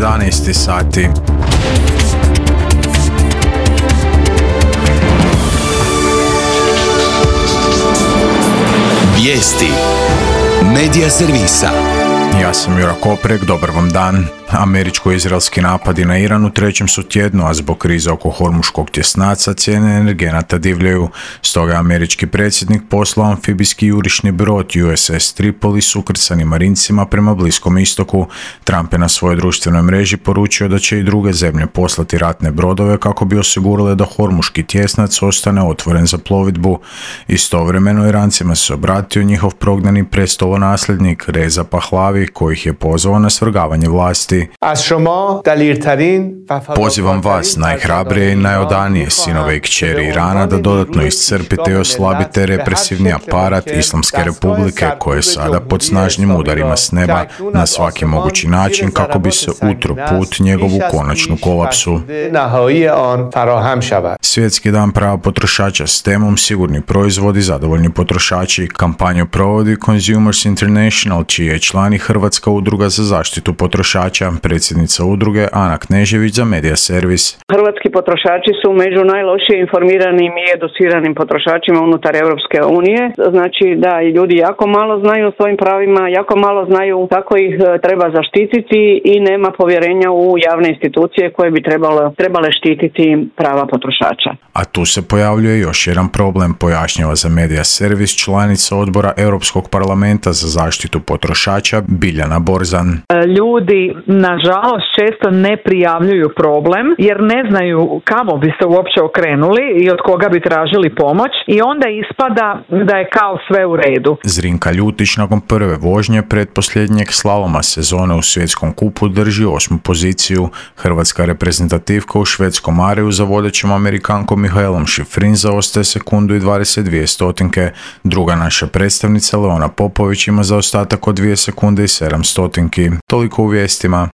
11 sati. Vijesti Medija servisa. Ja sam Jura Koprek, dobar vam dan. Američko-izraelski napadi na Iran u trećem su tjednu, a zbog krize oko Hormuškog tjesnaca cijene energenata divljaju. Stoga je američki predsjednik poslao amfibijski jurišni brod USS Tripoli s ukrcanim marincima prema Bliskom istoku. Trump je na svojoj društvenoj mreži poručio da će i druge zemlje poslati ratne brodove kako bi osigurale da Hormuški tjesnac ostane otvoren za plovidbu. Istovremeno Irancima se obratio njihov prognani prestolonasljednik Reza Pahlavi, koji ih je pozvao na svrgavanje vlasti. Pozivam vas, najhrabrije i najodanije sinove i kćeri Irana, da dodatno iscrpite i oslabite represivni aparat Islamske republike, koje je sada pod snažnim udarima s neba na svaki mogući način kako bi se utro put njegovu konačnu kolapsu. Svjetski dan prava potrošača s temom Sigurni proizvodi, zadovoljni potrošači. Kampanju provodi Consumers International, čiji je član i Hrvatska udruga za zaštitu potrošača. Predsjednica udruge Ana Knežević za Medija servis. Hrvatski potrošači su među najlošije informiranim i educiranim potrošačima unutar Europske unije. Znači da i ljudi jako malo znaju o svojim pravima, jako malo znaju kako ih treba zaštititi i nema povjerenja u javne institucije koje bi trebale štititi prava potrošača. A tu se pojavljuje još jedan problem, pojašnjava za Medija servis članica odbora Europskog parlamenta za zaštitu potrošača Biljana Borzan. Ljudi nažalost često ne prijavljuju problem jer ne znaju kamo bi se uopće okrenuli i od koga bi tražili pomoć i onda ispada da je kao sve u redu. Zrinka Ljutić nakon prve vožnje pretposljednjeg slaloma sezone u svjetskom kupu drži 8. poziciju. Hrvatska reprezentativka u švedskom Mariju za vodećom Amerikankom Mihaelom Šifrin zaostaje sekundu i 22 stotinke. Druga naša predstavnica Leona Popović ima zaostatak od 2 sekunde i 7 stotinki. Toliko u vijestima.